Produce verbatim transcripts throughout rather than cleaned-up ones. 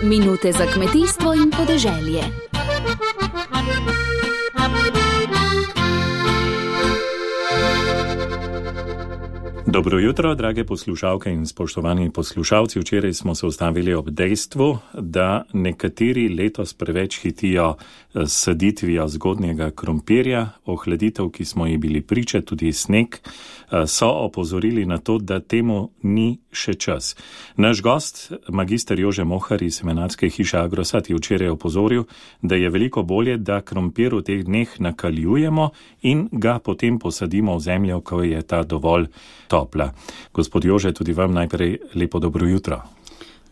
Minute za kmetijstvo in podeželje. Dobro jutro, drage poslušalke in spoštovani poslušalci. Včeraj smo se ustavili ob dejstvu, da nekateri letos preveč hitijo s saditvijo zgodnjega krompirja. Ohladitev, ki smo ji bili priče, tudi sneg, so opozorili na to, da temu ni še čas. Naš gost, magister Jože Mohar iz semenarske hiše Agrosat, je včeraj opozoril, da je veliko bolje, da krompir v teh dneh nakaljujemo in ga potem posadimo v zemljo, ko je ta dovolj topla. Gospod Jože, tudi vam najprej lepo dobro jutro.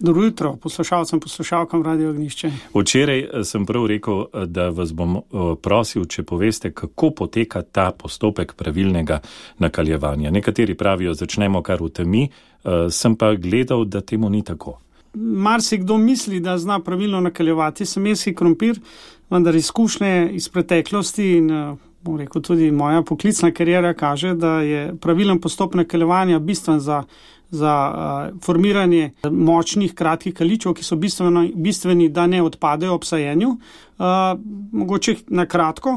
Dobro jutro, poslušalcem, poslušalkam Radio Ognjišče. Včeraj sem prav rekel, da vas bom prosil, če poveste, kako poteka ta postopek pravilnega nakaljevanja. Nekateri pravijo, začnemo kar v temi, sem pa gledal, da temu ni tako. Marsikdo misli, da zna pravilno nakaljevati semenski krompir, vendar izkušnje iz preteklosti in bom rekel, tudi moja poklicna kariera kaže, da je pravilen postopek nakaljevanja bistven za za uh, formiranje močnih, kratkih kaličev, ki so bistveno, bistveni, da ne odpadejo ob sajenju. Uh, mogoče na kratko,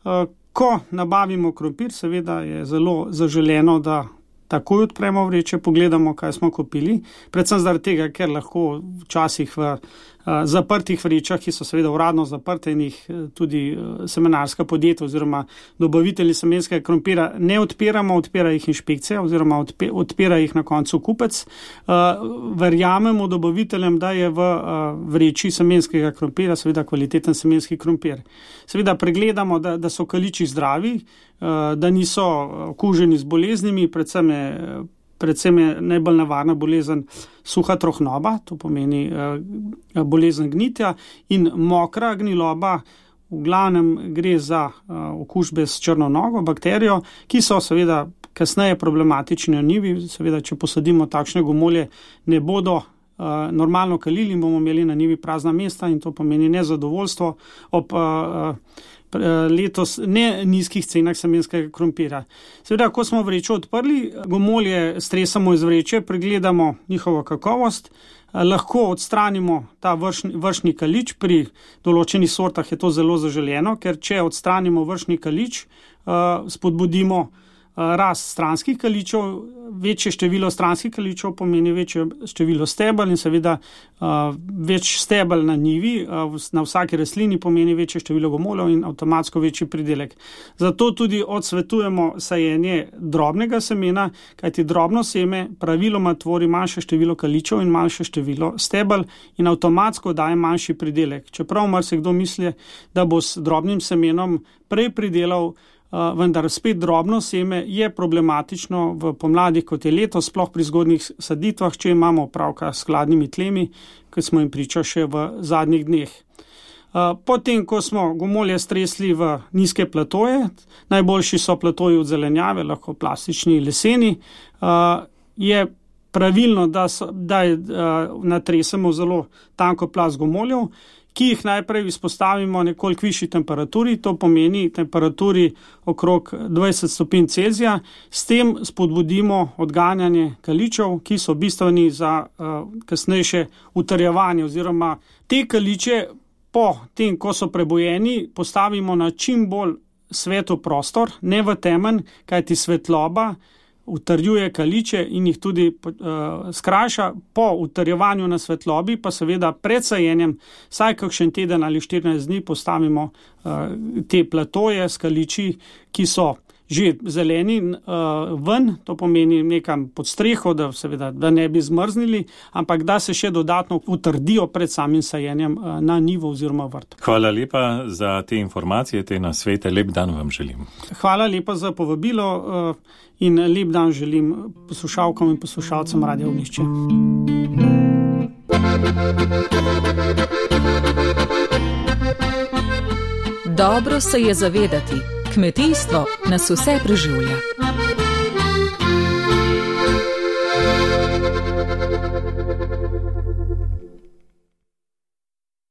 uh, ko nabavimo krompir, seveda je zelo zaželeno, da takoj odpremo vreče, pogledamo, kaj smo kupili. Predvsem zaradi tega, ker lahko včasih v uh, zaprtih vrečah, ki so seveda uradno zaprte in jih tudi uh, semenarska podjetja oziroma dobavitelji semenskega krompira ne odpiramo, odpira jih inšpekcija oziroma odpe, odpira jih na koncu kupec. Uh, verjamemo dobaviteljem, da je v uh, vreči semenskega krompira seveda kvaliteten semenski krompir. Seveda pregledamo, da, da so kaliči zdravi, uh, da niso okuženi z boleznimi, predvsem je Predvsem je najbolj nevarna bolezen suha trohnoba, to pomeni uh, bolezen gnitja, in mokra gniloba, v glavnem gre za uh, okužbe s črno nogo, bakterijo, ki so seveda kasneje problematični na njivi. Seveda, če posadimo takšne gomolje, ne bodo uh, normalno kalili in bomo imeli na njivi prazna mesta in to pomeni nezadovoljstvo ob uh, letos ne nizkih cenah semenskega krompira. Seveda, ko smo vrečo odprli, gomolje stresamo iz vreče, pregledamo njihovo kakovost, lahko odstranimo ta vršni, vršni kalič, pri določenih sortah je to zelo zaželeno, ker če odstranimo vršni kalič, spodbudimo rast stranskih kaličev, večje število stranskih kaličev pomeni večje število stebel in seveda uh, več stebel na njivi, uh, na vsaki rastlini pomeni večje število gomoljev in avtomatsko večji pridelek. Zato tudi odsvetujemo sajenje drobnega semena, kajti drobno seme praviloma tvori manjše število kaličev in manjše število stebel in avtomatsko daje manjši pridelek. Čeprav marsikdo misli, da bo s drobnim semenom prej pridelal, Uh, vendar spet drobno seme je problematično v pomladi, kot je letos, sploh pri zgodnjih saditvah, če imamo opravka s hladnimi tlemi, ki smo jim priča še v zadnjih dneh. Uh, potem, ko smo gomolje stresli v nizke platoje, najboljši so platoji od zelenjave, lahko plastični, leseni, uh, je pravilno, da, so, da je, uh, natresemo zelo tanko plast gomoljev, ki jih najprej izpostavimo nekoliko višji temperaturi, to pomeni temperaturi okrog dvajset stopinj Celzija, s tem spodbudimo odganjanje kaličev, ki so bistveni za uh, kasnejše utrjevanje oziroma te kaliče po tem, ko so prebojeni, postavimo na čim bolj svetlo prostor, ne v temen, kajti svetloba utrjuje kaliče in jih tudi uh, skrajša. Po utrjevanju na svetlobi pa seveda pred sajenjem vsaj kakšen teden ali štirinajst dni postavimo uh, te platoje s kaliči, ki so že zeleni uh, ven, to pomeni nekam pod streho, da seveda da ne bi zmrznili, ampak da se še dodatno utrdijo pred samim sajenjem uh, na njivo oziroma vrt. Hvala lepa za te informacije, te nasvete. Lep dan vam želim. Hvala lepa za povabilo uh, in lep dan želim poslušalkam in poslušalcem Radio Ognjišče. Dobro se je zavedati, kmetijstvo nas vse preživlja.